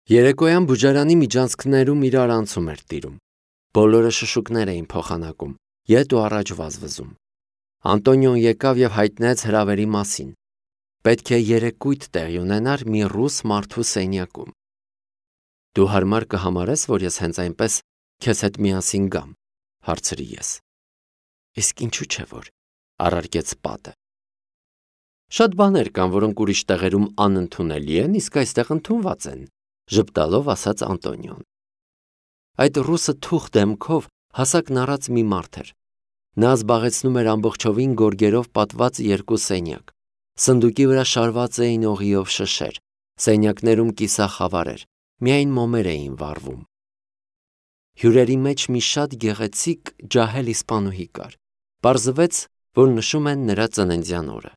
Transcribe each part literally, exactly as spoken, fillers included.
Երեկոյան բուժարանի միջանցքներում իրար անցում էր տիրում։ Բոլորը շշուկներ էին փոխանակում, ետ ու առաջ վազվզում։ Անտոնիոն եկավ եւ հայտնեց հրավերի մասին։ Պետք է երեկույթ տեղի ունենար մի ռուս մարդու սենյակում։ Դու հարմար կհամարես, որ ես հենց այնպես քեզ հետ միասին գամ, հարցրի ես։ Իսկ ինչու՞ չէ որ, առարկեց պատը։ Շատ բաներ կան, որոնք ուրիշ տեղերում անընդունելի են, իսկ այստեղ ընդունված են, ժպտալով ասաց Անտոնիոն։ Այդ ռուսը թուխ դեմքով հասակն առած մի մարդ էր։ Նա զբաղեցնում էր ամբողջովին գորգերով պատված երկու սենյակ։ Սնդուկի վրա շարված էին օղիով շշեր, սենյակներում կիսախավար էր, միայն մոմեր էին վառվում։ Հյուրերի մեջ մի շատ գեղեցիկ ջահել իսպանուհի կար։ Պարզվեց, որ նշում են նրա ծննդյան օրը։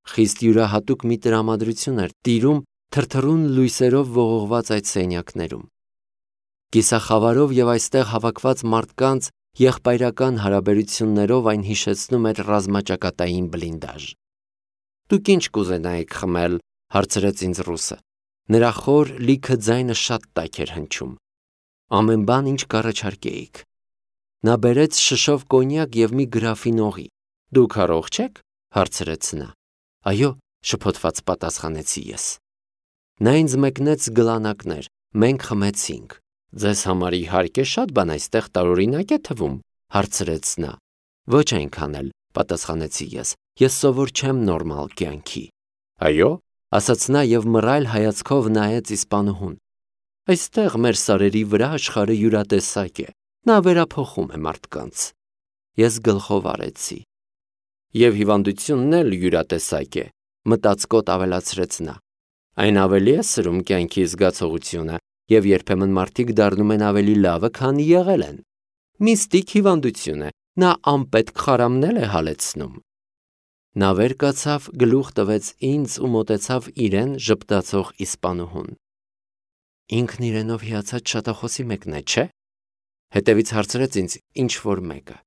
Խիստ յուրահատուկ մի տրամադրություն էր տիրում թրթռուն լույսերով ողողված այդ սենյակներում։ Կիսախավարով եւ այստեղ հավաքված մարդկանց եղբայրական հարաբերություններով այն հիշեցնում էր ռազմաճակատային բլինդաժ։ Դուք ինչ կուզենայիք խմել, հարցրեց ինձ ռուսը։ Նրա խոր լիքը ձայնը շատ տաք էր հնչում։ Ամեն բան, ինչ կառաջարկեիք։ Նա բերեց շշով կոնյակ եւ մի գրաֆին օղի։ Դուք առողջ եք, հարցրեց նա։ Այո, շփոթված պատասխանեցի ես։ Նա ինձ մեկնեց գլանակներ, մենք խմեցինք։ Ձեզ համար իհարկե շատ բան այստեղ տարօրինակ է թվում, հարցրեց նա։ Ոչ այնքան էլ, պատասխանեցի ես։ Ես սովոր չեմ նորմալ կյանքի։ Այո, ասաց նա եւ մռայլ հայացքով նայեց իսպանուհուն։ Այստեղ մեր սարերի վրա աշխարհը յուրատեսակ է։ Նա վերափոխում է մարդկանց։ Ես գլխով արեցի։ Եվ հիվանդությունն էլ յուրատեսակ է, մտածկոտ ավելացրեց նա։ Այն ավելի է սրում կյանքի զգացողությունը, եւ երբեմն մարդիկ դառնում են ավելի լավը, քան եղել են։ Միստիկ հիվանդություն է, նա անպետք խարամնել է հալեցնում։ Նա վեր կացավ, գլուխ տվեց ինձ ու մոտեցավ իրեն ժպտացող իսպանուհուն։ Ինքն իրենով հիացած շատախոսի մեկն է, չէ՞, հետևից հարցրեց ինձ ինչ որ մեկը։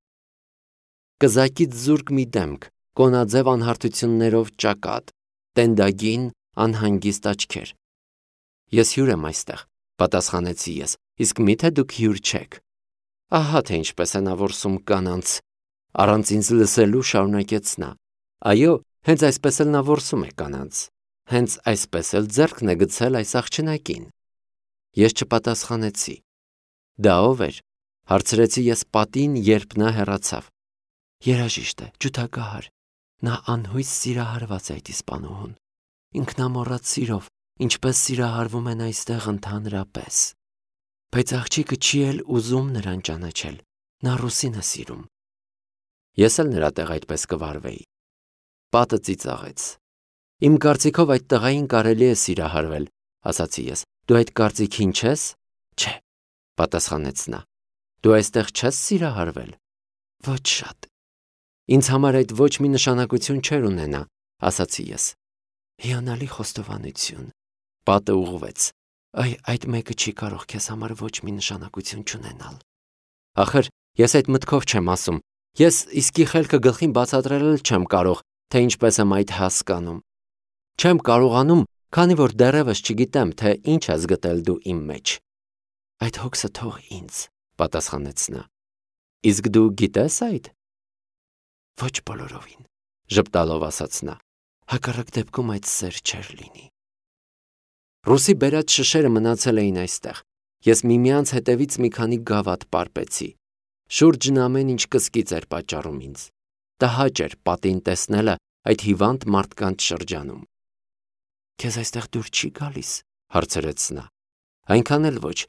Կզակից զուրկ մի դեմք, կոնաձև անհարթություններով ճակատ, տենդագին, անհանգիստ աչքեր։ Ես հյուր եմ այստեղ, պատասխանեցի ես, իսկ միթե դուք հյուր չեք։ Ահա թե ինչպես է նա որսում կանանց, առանց ինձ լսելու շարունակեց նա։ Այո, հենց այսպես էլ նա որսում է կանանց, հենց այսպես էլ ձեռքն է գցել այս աղջնակին։ Ես չպատասխանեցի։ Դա ով էր, հարցրեցի ես պատին, երբ նա հեռացավ։ Երաժիշտ է, ջութակահար, նա անհույս սիրահարված է այդ իսպանուհուն, ինքնամոռաց սիրով, ինչպես սիրահարվում են այստեղ ընդհանրապես։ Բայց աղջիկը չի էլ ուզում նրան ճանաչել, նա ռուսին է սիրում։ Ես էլ նրա տեղ այդպես կվարվեի։ Պատը ծիծաղեց։ Իմ կարծիքով այդ տղային կարելի է սիրահարվել, ասացի ես։ Դու այդ կարծիքին չես։ Չէ, պատասխանեց նա։ Դու այստեղ չես սիրահարվել։ Ոչ շատ։ Ինձ համար այդ ոչ մի նշանակություն չէր ունենա, ասացի ես։ Հիանալի խոստովանություն։ Պատը ուղղվեց։ Այ այդ մեկը չի կարող քեզ համար ոչ մի նշանակություն չունենալ։ Ախր ես այդ մտքով չեմ ասում։ Ես իսկի խելքը գլխին բացատրել չեմ կարող, թե ինչպես եմ այդ հասկանում։ Չեմ կարողանում, քանի որ դեռևս չգիտեմ, թե ինչ ես գտել դու իմ մեջ։ Այդ հոգսը թող ինձ, պատասխանեց նա։ Իսկ դու գիտես այդ։ Ոչ բոլորովին, ժպտալով ասաց նա։ Հակառակ դեպքում այդ սեր չէր լինի։ Ռուսի բերած շշերը մնացել էին այստեղ։ Ես միմյանց հետևից մի քանի գավաթ պարպեցի։ Շուրջն ամեն ինչ կսկիծ էր պատճառում ինձ։ Տհաճ էր պատին տեսնելը այդ հիվանդ մարդկանց շրջանում։ Քեզ այստեղ դուր չի գալիս, հարցրեց նա։ Այնքան էլ ոչ,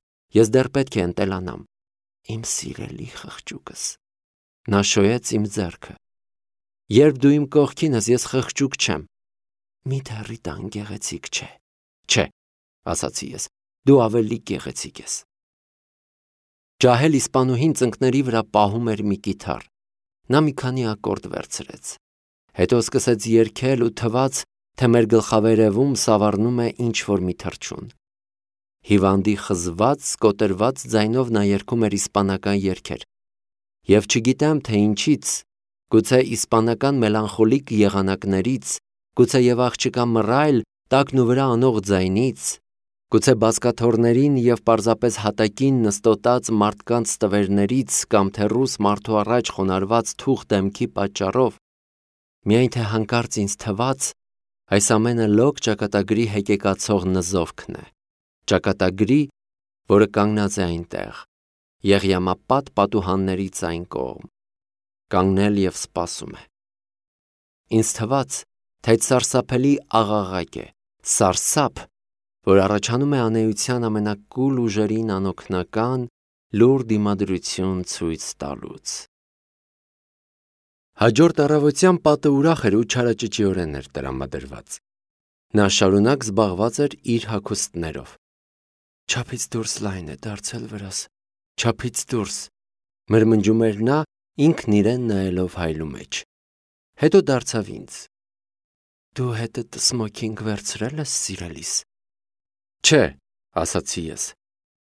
ես դեռ պետք է ընտելանամ։ Իմ սիրելի խղճուկս։ Նա շոյեց իմ ձեռքը։ Երբ դու իմ կողքին ես, ես խղճուկ չեմ։ Միթե Ռիտան գեղեցիկ չէ։ Չէ, ասացի ես, դու ավելի գեղեցիկ ես։ Ջահել իսպանուհին ծնկների վրա պահում էր մի կիթառ։ Նա մի քանի ակորդ վերցրեց։ Հետո սկսեց երգել ու թվաց, թե մեր գլխավերևում սավառնում է ինչ-որ մի թռչուն։ Հիվանդի խզված, կոտրված ձայնով նա երգում էր իսպանական երգեր։ Եվ չգիտեմ, թե ինչից, գուցե իսպանական մելանխոլիկ եղանակներից, գուցե եւ աղջկա մռայլ, տակն ու վրա անող ձայնից, Գուցե բազկաթոռներին և պարզապես հատակին նստոտած մարդկանց տվերներից կամ թե ռուս մարդու առաջ խոնարհված թուխ դեմքի պատճառով, միայն թե հանկարծ ինձ թվաց, այս ամենը լոկ ճակատագրի հեկեկացող նզովքն է, ճակատագրի, որը կանգնած է այնտեղ, եղյամապատ պատուհաններից այն կողմ, կանգնել և սպասում է։ Ինձ թվաց, թե այդ սարսափելի աղաղակ է, սարսափ, որ առաջանում է անեության ամենակուլ ուժերին անօգնական, լուռ դիմադրություն ցույց տալուց։ Հաջորդ առավոտյան պատը ուրախ էր ու չարաճճիորեն էր տրամադրված։ Նա շարունակ զբաղված էր իր հագուստներով։ «Չափից դուրս լայն է դարձել վրաս, չափից դուրս», մրմնջում էր նա, ինքն իրեն նայելով հայլու մեջ։ Հետո դարձավ ինձ. «Դու հետդ սմոքինգ վերցրել ես, սիրելիս»։ «Չէ», ասացի ես,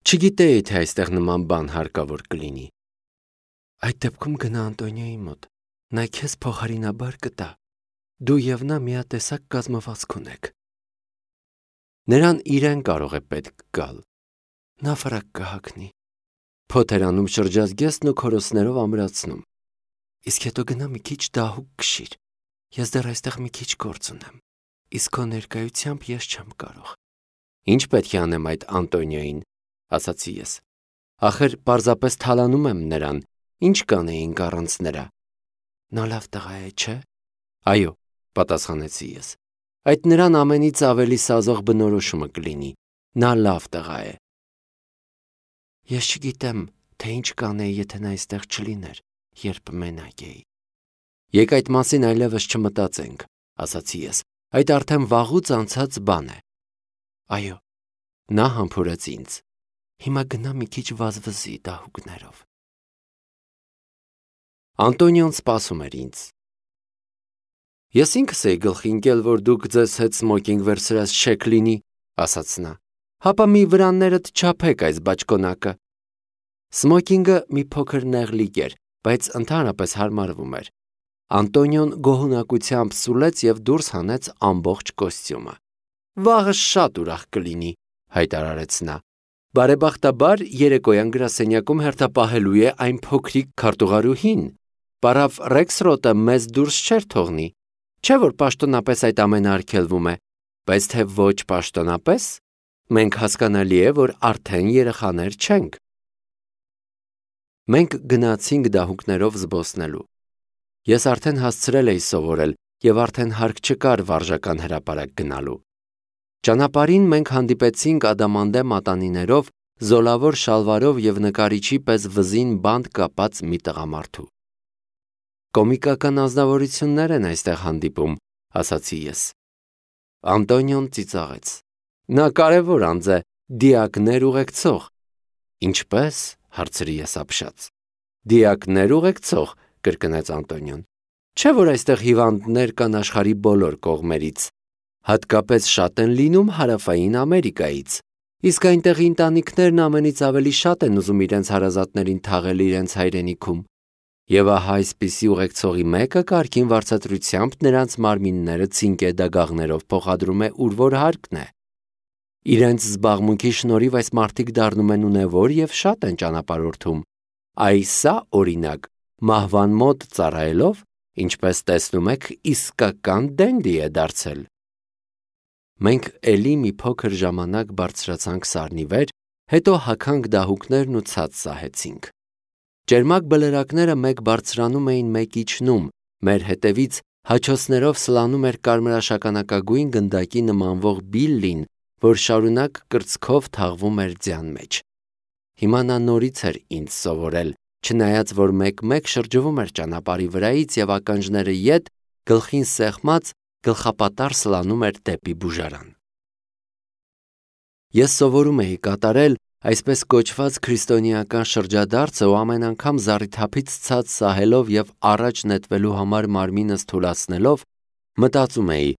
«չգիտեի, թե այստեղ նման բան հարկավոր կլինի»։ «Այդ դեպքում գնա Անտոնիոյի մոտ, նա քեզ փոխարինաբար կտա, դու և նա միատեսակ կազմվածք ունեք»։ Նրան իրեն կարող է պետք գալ, նա ֆրակ կհագնի, փոթ էր անում շրջազգեստն ու քորոցներով ամրացնում, իսկ հետո գնա մի քիչ դահուկ քշիր, ես դեռ այստեղ մի քիչ գործ ունեմ, իսկ քո ներկայությամբ ես չեմ կարող։ «Ինչ պետք է անեմ այդ Անտոնիոյին», ասացի ես, ախր պարզապես թալանում եմ նրան, ինչ կանեինք առանց նրա։ «Նա լավ տղա է, չէ»։ «Այո», պատասխանեցի ես, «այդ նրան ամենից ավելի սազող բնորոշումը կլինի, նա լավ տղա է»։ «Ես չգիտեմ, թե ինչ կանեի, եթե նա այստեղ չլիներ, երբ մենակ էի»։ «Եկ այդ մասին այլևս չմտածենք», ասացի ես, «այդ արդեն վաղուց անցած բան է»։ «Այո», նա համբուրեց ինձ, «հիմա գնա մի քիչ վազվզի դահուկներով»։ Անտոնիոն սպասում էր ինձ։ «Ես ինքս էի գլխի ընկել, որ դուք ձեզ հետ սմոքինգ վերցրած չեք լինի», ասաց նա, «հապա մի վրաններդ չափեք այս բաճկոնակը»։ Սմոքինգը մի փոքր նեղլիկ էր, բայց ընդհանրապես հարմարվում էր։ Անտոնիոն գոհունակությամբ սուլեց և դուրս հանեց ամբողջ կոստյումը։ «Վաղը շատ ուրախ կլինի», հայտարարեց նա։ «Բարեբախտաբար երեկոյան գրասենյակում հերթապահելու է այն փոքրիկ քարտուղարուհին, պարավ Ռեքսրոտը մեզ դուրս չէր թողնի, չէ՞ որ պաշտոնապես այդ ամենը արգելվում է, բայց թե ոչ պաշտոնապես, մենք հասկանալի է, որ արդեն երեխաներ չենք»։ Մենք գնացինք դահուկներով զբոսնելու։ Ես արդեն հասցրել էի սովորել և արդեն հարկ չկար վարժական հրապարակ գնալու։ Ճանապարհին մենք հանդիպեցինք ադամանդե մատանիներով, զոլավոր շալվարով և նկարիչի պես վզին բանտ կապած մի տղամարդու։ «Կոմիկական անձնավորություններ են այստեղ հանդիպում», ասացի ես։ Անտոնիոն ծիծաղեց։ «Նա կարևոր անձ է, դիակներ ուղեկցող»։ «Ինչպե՞ս», հարցրի ես ապշած։ «Դիակներ ուղեկցող», կրկնեց Անտոնիոն։ «Չէ՞ որ այստեղ հիվանդներ կան աշխարհի բոլոր կողմերից, հատկապես շատ են լինում Հարավային Ամերիկայից, իսկ այնտեղի ընտանիքներն ամենից ավելի շատ են ուզում իրենց հարազատներին թաղել իրենց հայրենիքում, և ահա այսպիսի ուղեկցողի մեկը կարգին վարձատրությամբ նրանց մարմինները ցինկե դագաղներով փոխադրում է ուր որ հարկն է։ Իրենց զբաղմունքի շնորհիվ այս մարդիկ դառնում են ունևոր և շատ են ճանապարհորդում։ Այ սա, օրինակ, մահվան մոտ ծառայելով, ինչպես տեսնում եք, իսկական դենդի է դարձել»։ Մենք էլի մի փոքր ժամանակ բարձրացանք սարնի վեր, հետո հագանք դահուկներն ու ցած սահեցինք։ Ճերմակ բլրակները մեկ բարձրանում էին, մեկ իջնում, մեր հետևից հաչոցներով սլանում էր կարմրաշագանակագույն գնդակի նմանվող Բիլլին, որ շարունակ կրծքով թաղվում էր ձյան մեջ։ Հիմա նա նորից էր ինձ սովորել, չնայած որ մեկ-մեկ շրջվում էր ճանապարհի վրայից և ականջները ետ, գլխին սեղմած, գլխապատառ սլանում էր դեպի բուժարան։ Ես սովորում էի կատարել այսպես կոչված քրիստոնեական շրջադարձը ու ամեն անգամ զառիթափից ցած սահելով և առաջ նետվելու համար մարմինս թուլացնելով, մտածում էի.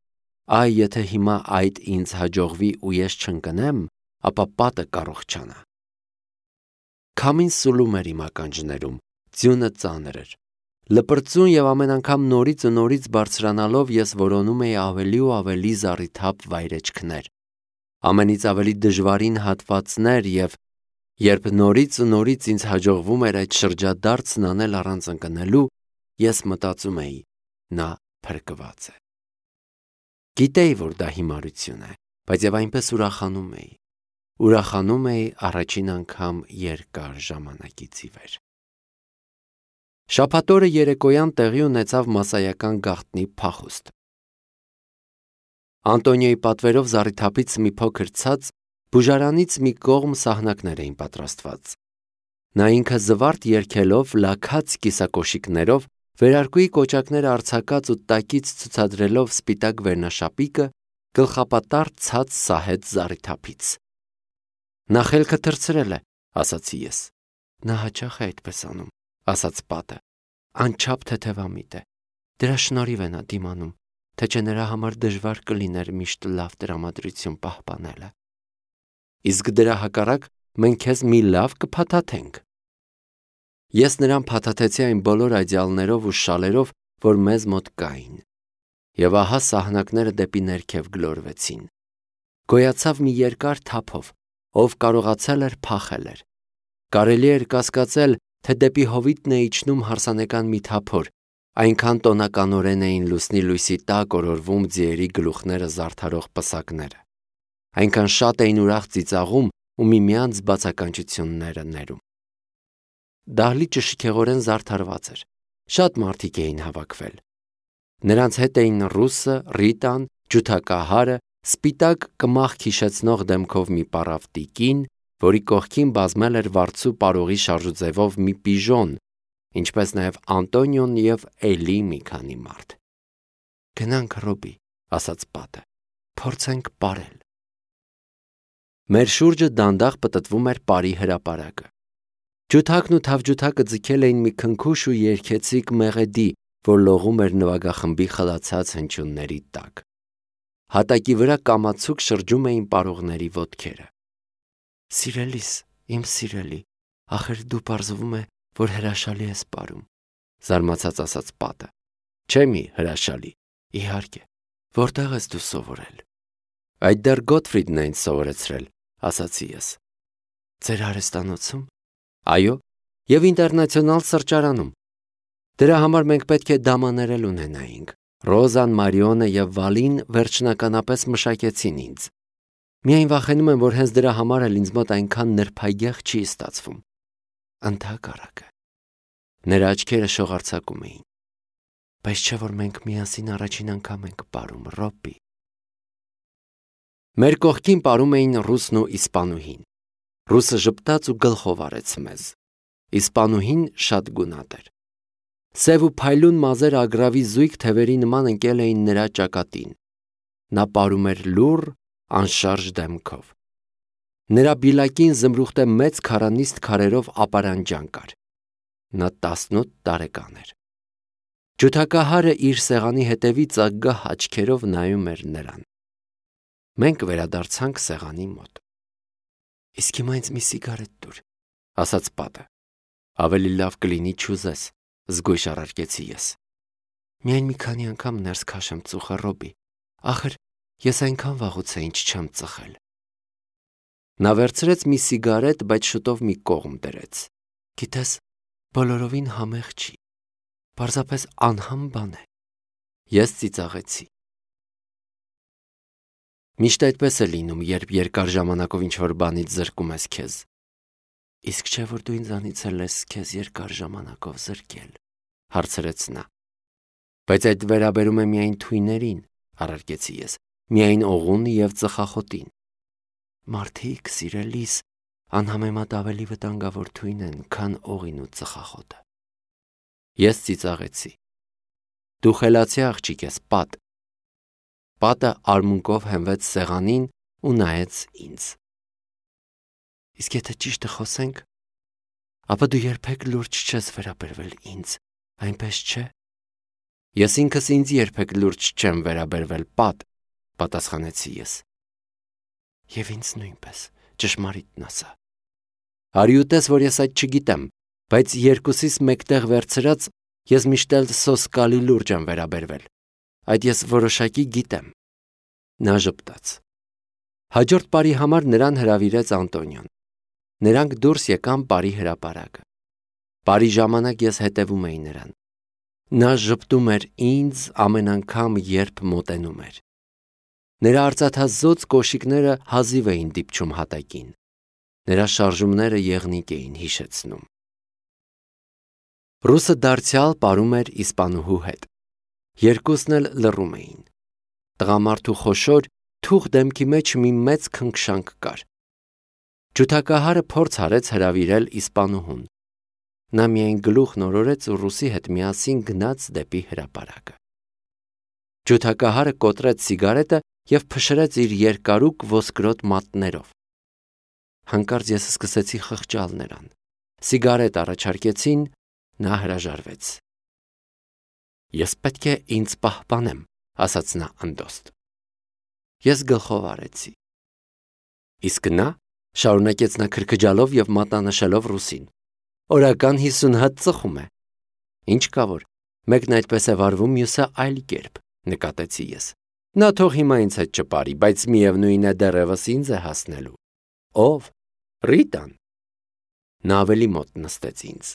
«Այ եթե հիմա այդ ինձ հաջողվի ու ես չընկնեմ, ապա պատը կառողջանա»։ Քամին սուլում էր իմ ականջներում, ձյունը ծանր էր։ Լպրծուն և ամեն անգամ նորից ու նորից բարձրանալով ես որոնում էի ավելի ու ավելի զառիթափ վայրեջքներ։ ամենից ավելի դժվարին հատվածներ եւ երբ նորից ու նորից ինձ հաջողվում էր այդ շրջադարձն անել առանց ընկնելու, ես մտածում էի, նա փրկված է։ Գիտեի, որ դա հիմարություն է, բայց եւ այնպես ուրախանում էի։ Ուրախանում էի առաջին անգամ երկար ժամանակից ի վեր։ Շաբաթ օրը երեկոյան տեղի ունեցավ մասսայական գաղտնի փախուստ։ Անտոնիոյի պատվերով զառիթափից մի փոքր ցած բուժարանից մի կողմ սահնակներ էին պատրաստված։ Նա ինքը զվարթ երգելով, լաքած կիսակոշիկներով, վերարկուի կոճակները արձակած ու տակից ցուցադրելով սպիտակ վերնաշապիկը, գլխապատառ ցած սահեց զառիթափից։ Նա խելքը թռցրել է, ասացի ես։ Նա հաճախ է այդպես անում, ասաց պատը։ Անչափ թեթևամիտ է։ Դրա շնորհիվ է նա դիմանում, թե չէ նրա համար դժվար կլիներ միշտ լավ տրամադրություն պահպանելը։ Իսկ դրա հակառակ մենք քեզ մի լավ կփաթաթենք։ Ես նրան փաթաթեցի այն բոլոր այդյալներով ու շալերով, որ մեզ մոտ կային։ Եվ ահա սահնակները դեպի ներքև գլորվեցին։ Գոյացավ մի երկար թափով, ով կարողացել էր փախել էր։ Կարելի էր կասկածել, թե դեպի հովիտն է իջնում հարսանեկան մի թափոր, այնքան տոնականորեն էին լուսնի լույսի տակ օրորվում ձիերի գլուխները զարդարող պսակները։ Այնքան շատ էին ուրախ ծիծաղում ու միմյանց բացականչությունները ներում։ Դահլիճը շքեղորեն զարդարված էր։ Շատ մարդիկ էին հավաքվել։ Նրանց հետ էին ռուսը, Ռիտան, ջութակահարը, սպիտակ կմախք հիշեցնող դեմքով մի պառավ տիկին, որի կողքին բազմել էր վարձու պարողի շարժուձևով մի պիժոն, ինչպես նաև Անտոնիոն և էլի մի քանի մարդ։ Գնանք, Ռոբի, ասաց պատը, փորձենք պարել։ Մեր շուրջը դանդաղ պտտվում էր պարի հրապարակը։ Ջութակն ու թավջութակը ձգել էին մի քնքուշ ու երգեցիկ մեղեդի, որ լողում էր նվագախմբի խլացած հնչյունների տակ։ Հատակի վրա կամացուկ շրջում էին պարողների ոտքերը։ Սիրելիս, իմ սիրելի, ախր դու պարզվում է, որ հրաշալի ես պարում, զարմացած ասաց պատը։ Չէ՞ մի հրաշալի, իհարկե, որտեղ ես դու սովորել։ Այդ դեռ Գոթֆրիդն է ինձ սովորեցրել, ասացի ես։ Ձեր արհեստանոցում։ Այո, եւ ինտերնացիոնալ սրճարանում։ Դրա համար մենք պետք է դամաներել ունենայինք։ Ռոզան, Մարիոնը եւ Վալին վերջնականապես մշակեցին ինձ։ Միայն վախենում եմ, որ հենց դրա համար էլ ինձ մոտ այնքան նրբագեղ չի ստացվում։ Ընդհակառակը։ Նրա աչքերը շողարցակում էին։ Բայց չէ՞ որ մենք միասին առաջին անգամ ենք պարում, Ռոբի։ Մեր կողքին պարում էին ռուսն ու իսպանուհին։ Ռուսը ժպտաց ու գլխով արեց մեզ։ Իսպանուհին շատ գունատ էր։ Սև ու փայլուն մազերը ագրավի զույգ թևերի նման ընկել էին նրա ճակատին։ Նա պարում էր լուռ, անշարժ դեմքով։ Նրա բիլակին զմրուխտե մեծ քարանիստ քարերով ապարանջան կար։ Նա տասնութ տարեկան էր։ Ջութակահարը իր սեղանի հետևից ագահ աչքերով նայում էր նրան։ Մենք վերադարձանք սեղանի մոտ։ Իսկ հիմա ինձ մի սիգարետ տուր, ասաց պատը։ Ավելի լավ կլինի չուզես, զգույշ առարկեցի ես։ Միայն մի քանի անգամ ներս քաշեմ ծուխը, Ռոբի։ Ախր ես այնքան վաղուց է ինչ չեմ ծխել։ Նա վերցրեց մի սիգարետ, բայց շուտով մի կողմ դրեց։ Գիտես, բոլորովին համեղ չի։ Պարզապես անհամ բան է։ Ես ծիծաղեցի։ Միշտ այդպես է լինում, երբ երկար ժամանակով ինչ-որ բանից զրկում ես քեզ։ Իսկ չէ՞ որ դու ինձանից էլ ես քեզ երկար ժամանակով զրկել, հարցրեց նա։ Բայց այդ վերաբերում է միայն թույներին, առարկեցի ես, միայն օղուն և ծխախոտին։ Մարդիկ, սիրելիս, անհամեմատ ավելի վտանգավոր թույն են, քան օղին ու ծխախոտը։ Ես ծիծաղեցի։ Դու խելացի աղջիկ ես, Պատ։ Պատը արմունկով հենվեց սեղանին ու նայեց ինձ։ Իսկ եթե ճիշտը խոսենք, ապա դու երբեք լուրջ չես վերաբերվել ինձ, այնպես չէ։ Ես ինքս ինձ երբեք լուրջ չեմ վերաբերվել, Պատ, պատասխանեցի ես։ Եվ ինձ նույնպես, ճշմարիտն ասա։ Հարյուտես, որ ես այդ չգիտեմ, բայց երկուսիս մեկտեղ վերցրած ես միշտ էլ սոսկալի լուրջ եմ վերաբերվել։ Այդ ես որոշակի գիտեմ։ Նա ժպտաց։ Հաջորդ բարի համար նրան հրավիրեց Անտոնիոն։ Նրանք դուրս եկան բարի հրապարակը։ Բարի ժամանակ ես հետևում էի նրան։ Նա ժպտում էր ինձ ամեն անգամ, երբ մոտենում էր։ Նրա արծաթազօծ կոշիկները հազիվ էին դիպչում հատակին։ Նրա շարժումները եղնիկ էին հիշեցնում։ Ռուսը դարձյալ պարում էր իսպանուհու հետ։ Երկուսն էլ լռում էին։ Տղամարդու խոշոր, թուխ դեմքի մեջ մի մեծ քնքշանք կար։ Ջութակահարը փորձ արեց հրավիրել իսպանուհուն։ Նա միայն գլուխն օրորեց ու ռուսի հետ միասին գնաց դեպի հրապարակը։ Ջութակահարը կոտրեց սիգարետը և փշրեց իր երկարուկ ոսկրոտ մատներով։ Հանկարծ ես սկսեցի խղճալ նրան։ Սիգարետ առաջարկեցին, նա հրաժարվեց։ Ես պետք է ինձ պահպանեմ, ասաց նա անդոստ։ Ես գլխով արեցի։ Իսկ նա, շարունակեց նա քրքջալով և մատնանշելով ռուսին, օրական հիսուն հատ ծխում է։ Ինչ կա որ, մեկն այդպես է վարվում, մյուսը այլ կերպ, նկատեցի ես։ Նա թող հիմա ինձ հետ չպարի, բայց միևնույն է դեռևս ինձ է հասնելու։ Ով։ Ռիտան։ Նա ավելի մոտ նստեց ինձ։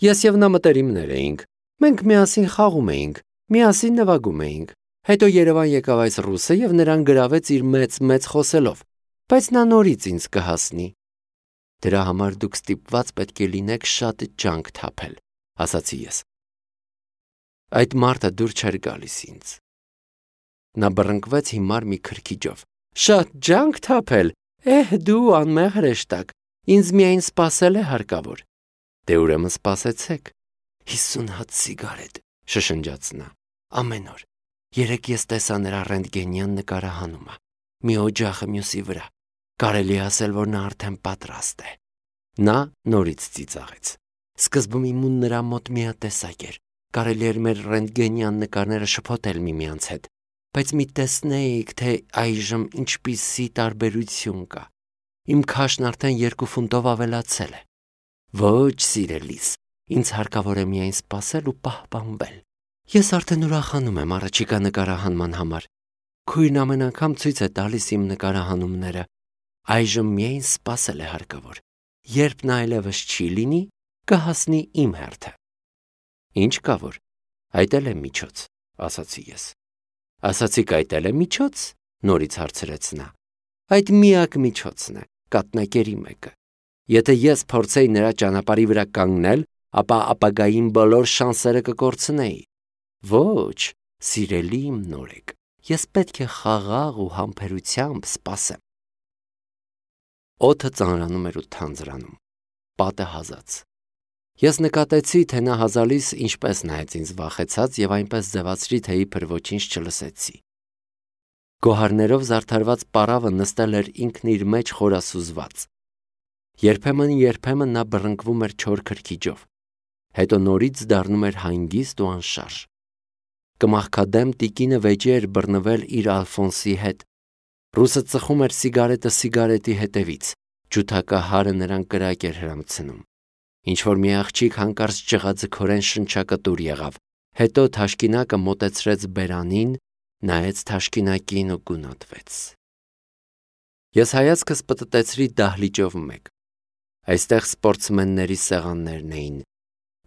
Ես և նա մտերիմներ էինք։ Մենք միասին խաղում էինք, միասին նվագում էինք։ Հետո Երևան եկավ այս ռուսը և նրան գրավեց իր մեծ-մեծ խոսելով, բայց նա նորից ինձ կհասնի։ Դրա համար դուք ստիպված պետք է լինեք շատ ջանք թափել, ասացի ես։ Այդ մարդը դուր չէր գալիս ինձ։ Նա բռնկվեց հիմար մի քրքիջով։ Շատ ջանք թափել։ Էհ, դու անմեղ հրեշտակ, ինձ միայն սպասել է հարկավոր։ Դե ուրեմն սպասեցեք։ Հիսուն հատ սիգարետ, շշնջաց նա։ Ամեն օր։ Երեկ ես տեսա նրա ռենտգենյան նկարահանումը։ Մի օջախը մյուսի վրա։ Կարելի է ասել, որ նա արդեն պատրաստ է։ Նա նորից ծիծաղեց։ Սկզբում իմուն նրա մոտ միատեսակ էր։ Կարելի էր մեր ռենտգենյան նկարները շփոթել միմյանց հետ, բայց մի տեսնեիք, թե այժմ ինչպիսի տարբերություն կա։ Իմ քաշն արդեն երկու ֆունտով ավելացել է։ Ոչ, սիրելիս, ինձ հարկավոր է միայն սպասել ու պահպանվել։ Ես արդեն ուրախանում եմ առաջիկա նկարահանման համար։ Քույրն ամեն անգամ ցույց է տալիս իմ նկարահանումները։ Այժմ միայն սպասել է հարկավոր։ Երբ նա այլևս չի լինի, կհասնի իմ հերթը։ Ինչ կա որ, այդ էլ է միջոց, ասացի ես։ Ասացիք այդ էլ է միջոց, նորից հարցրեց նա։ Այդ միակ միջոցն է, կատնակերի մեկը։ Եթե ես փորձեի նրա ճանապարհի վրա կանգնել, ապա ապագային բոլոր շանսերը կկորցնեի։ Ոչ, սիրելի իմ նորեկ, ես պետք է խաղաղ ու համբերությամբ սպասեմ։ Օդը ծանրանում էր ու թանձրանում, պատը հազաց։ Ես նկատեցի, թե նա հազալիս ինչպես նայեց ինձ վախեցած և այնպես ձևացրի, թե իբր ոչինչ չլսեցի։ Գոհարներով զարդարված պարավը նստել էր ինքն իր մեջ խորասուզված։ Երբեմն-երբեմն նա բռնկվում էր չոր քրքիջով, հետո նորից դառնում էր հանգիստ ու անշարժ։ Կմախքադեմ տիկինը վեճի էր բռնվել իր Ալֆոնսի հետ։ Ռուսը ծխում էր սիգարետը սիգարետի հետևից, ջութակահարը նրան կրակ էր հրամցնում։ Ինչ-որ մի աղջիկ հանկարծ ճղաձգորեն շնչակտուր եղավ, հետո թաշկինակը մոտեցրեց բերանին, նայեց թաշկինակին ու գունատվեց։ Ես հայացքս պտտեցրի դահլիճով մեկ։ Այստեղ սպորտսմենների սեղաններն էին։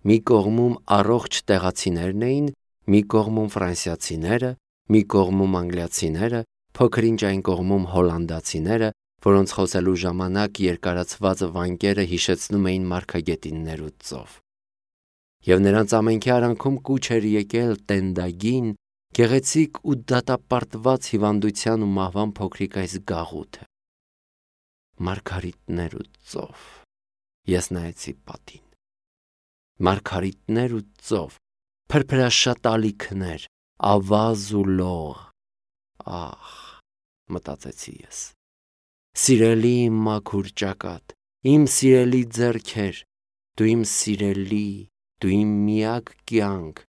Մի կողմում առողջ տեղացիներն էին, մի կողմում ֆրանսիացիները, մի կողմում անգլիացիները, փոքր-ինչ այն կողմում հոլանդացիները, որոնց խոսելու ժամանակ երկարացված վանկերը հիշեցնում էին մարգագետիններ ու ծով։ Եվ նրանց ամենքի արանքում կուչ էր եկել տենդագին, գեղեցիկ ու դատապարտված հիվանդության ու մահվան փոքրիկ այս գաղութը։ Մարգարիտներ ու ծով։ Ես նայեցի պատին։ Մարգարիտներ ու ծով, փրփրաշատ ալիքներ, ավազ ու լող։ Ահ, մտածեցի ես։ Սիրելի իմ մաքուր ճակատ, իմ սիրելի ձեռքեր, դու իմ սիրելի, դու իմ միակ կյանք,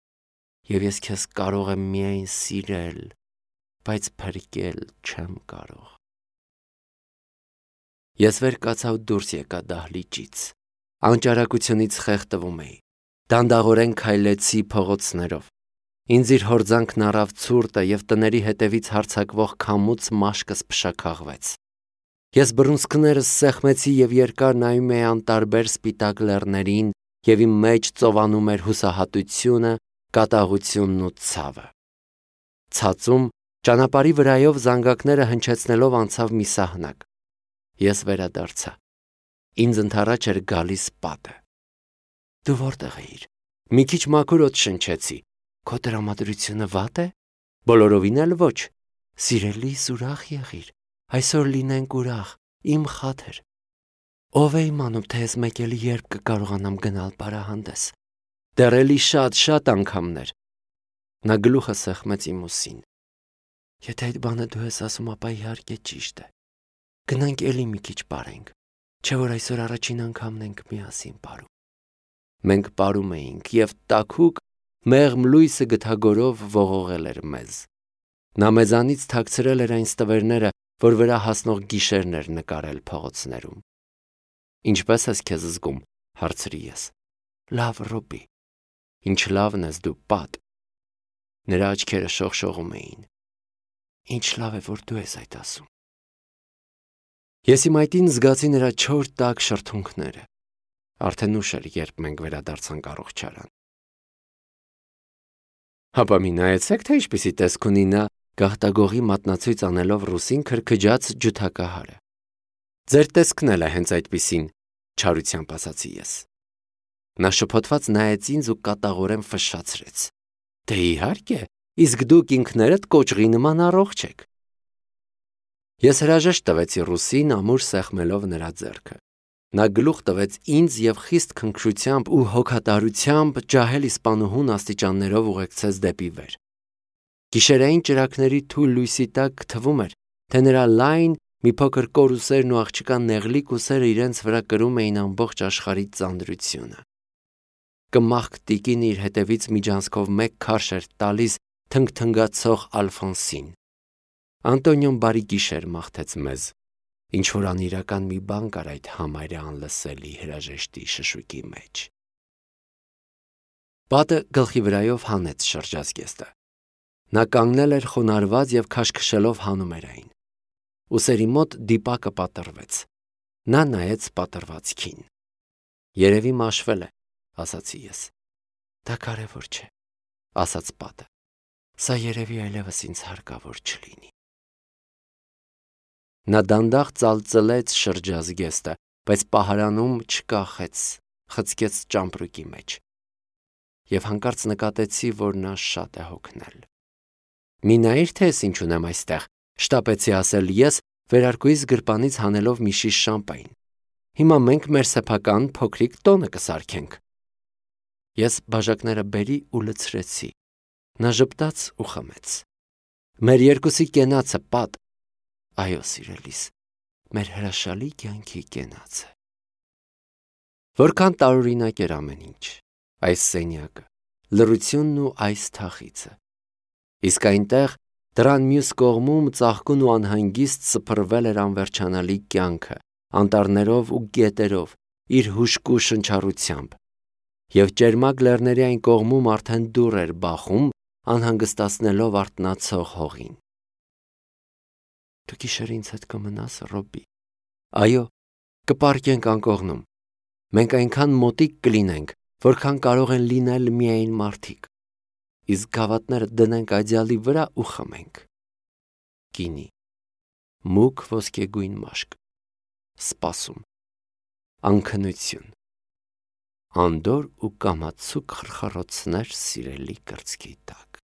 և ես քեզ կարող եմ միայն սիրել, բայց փրկել չեմ կարող։ Ես վեր կացա ու դուրս եկա դահլիճից։ Անճարակությունից խեղդվում էի։ Դանդաղորեն քայլեցի փողոցներով։ Ինձ իր հորձանքն առավ ցուրտը և տների հետևից հարձակվող քամուց մաշկս փշաքաղվեց։ Ես բռունցքներս սեղմեցի և երկար նայում էի անտարբեր սպիտակ լեռներին, և իմ մեջ ծովանում էր հուսահատությունը, կատաղությունն ու ցավը։ Ցածում ճանապարհի վրայով զանգակները հնչեցնելով անցավ մի սահնակ։ Ես վերադարձա։ Ինձ ընդառաջ էր գալիս պատը։ Դու որտեղ էիր։ Մի քիչ մաքուր օդ շնչեցի։ Քո տրամադրությունը վատ է։ Բոլորովին էլ ոչ։ Սիրելիս, ուրախ եղիր։ Այսօր լինենք ուրախ, իմ խաթր։ Ով է իմանում, թե ես մեկ էլի երբ կկարողանամ գնալ պարահանդես։ Դեռ էլի շատ-շատ անգամներ։ Նա գլուխը սեղմեց իմ ուսին։ Եթե այդ բանը դու ես ասում, ապա իհարկե ճիշտ է։ Գնանք էլի մի քիչ պարենք, չէ՞ որ այսօր առաջին անգամն ենք միասին պարում։ Մենք պարում էինք, և տաքուկ, մեղմ լույսը գթագորով ողողել էր մեզ։ Նա մեզանից թաքցրել էր այն ստվերները, որ վրա հասնող գիշերն էր նկարել փողոցներում։ Ինչպե՞ս ես քեզ զգում, հարցրի ես։ Լավ, Ռոբի։ Ինչ լավն ես դու, պատ։ Նրա աչքերը շողշողում էին։ Ինչ լավ է, որ դու ես այդ ասում։ Ես իմ այտին զգացի նրա չոր տաք շրթունքները։ Արդեն ուշ էր, երբ մենք վերադարձանք առողջարան։ Հապա մի նայեցեք, թե ինչպիսի տեսք ունի նա, գաղտագողի մատնացույց անելով ռուսին քրքջաց ջութակահարը։ Ձեր տեսքն էլ է հենց այդպիսին, չարությամբ ասացի ես։ Նա շփոթված նայեց ինձ ու կատաղորեն ֆշշացրեց։ Դե իհարկե, իսկ դուք ինքներդ կոճղի նման առողջ եք։ Ես հրաժեշտ տվեցի ռուսին, ամուր սեղմելով նրա ձեռքը։ Նա գլուխ տվեց ինձ և խիստ քնքշությամբ ու հոգատարությամբ ջահել իսպանուհուն աստիճաններով ուղեկցեց դեպի վեր։ Գիշերային ճրագների թույլ լույսի տակ թվում էր, թե նրա լայն, մի փոքր կոր ուսերն ու աղջկան նեղլիկ ուսերը իրենց վրա կրում էին ամբողջ աշխարհի ծանրությունը։ Կմախք տիկինը իր հետևից միջանցքով մեկ քարշ էր տալիս թնգթնգացող Ալֆոնսին։ Անտոնիոն բարի գիշեր մաղթեց մեզ։ Ինչ-որ անիրական մի բան կար այդ համարյա անլսելի հրաժեշտի շշուկի մեջ։ Պատը գլխի վրայով հանեց շրջազգեստը։ Նա կանգնել էր խոնարհված և քաշքշելով հանում էր այն։ Ուսերի մոտ դիպակը պատռվեց։ Նա նայեց պատռվածքին։ Երևի մաշվել է, ասացի ես։ Դա կարևոր չէ, ասաց պատը։ Սա երևի այլևս ինձ հարկավոր չլինի։ Նա դանդաղ ծալծլեց շրջազգեստը, բայց պահարանում չկախեց, խցկեց ճամպրուկի մեջ։ Եվ հանկարծ նկատեցի, որ նա շատ է հոգնել։ Մի նայիր, թե ես ինչ ունեմ այստեղ, շտապեցի ասել ես, վերարկուիս գրպանից հանելով մի շիշ շամպայն։ Հիմա մենք մեր սեփական փոքրիկ տոնը կսարքենք։ Ես բաժակները բերի ու լցրեցի։ Նա ժպտաց ու խմեց։ Մեր երկուսի կենացը, Պատ։ Այո, սիրելիս, մեր հրաշալի կյանքի կենացը։ Որքան տարօրինակ էր ամեն ինչ, այս սենյակը, լռությունն ու այս թախիծը։ Իսկ այնտեղ, դռան մյուս կողմում, ծաղկուն ու անհանգիստ սփռվել էր անվերջանալի կյանքը, անտառներով ու գետերով, իր հուժկու շնչառությամբ, և ճերմակ լեռների այն կողմում արդեն դուռ էր բախում, անհանգստացնելով արթնացող հողին։ Դու գիշերը ինձ հետ կմնաս, Ռոբի։ Այո, կպառկենք անկողնում։ Մենք այնքան մոտիկ կլինենք, որքան կարող են լինել միայն մարդիկ։ Իսկ գավաթները դնենք այծյալի վրա ու խմենք։ Գինի, մուգ ոսկեգույն մաշկ, սպասում, անքնություն, անդորր ու կամացուկ խրխռոցներ սիրելի կրծքի տակ։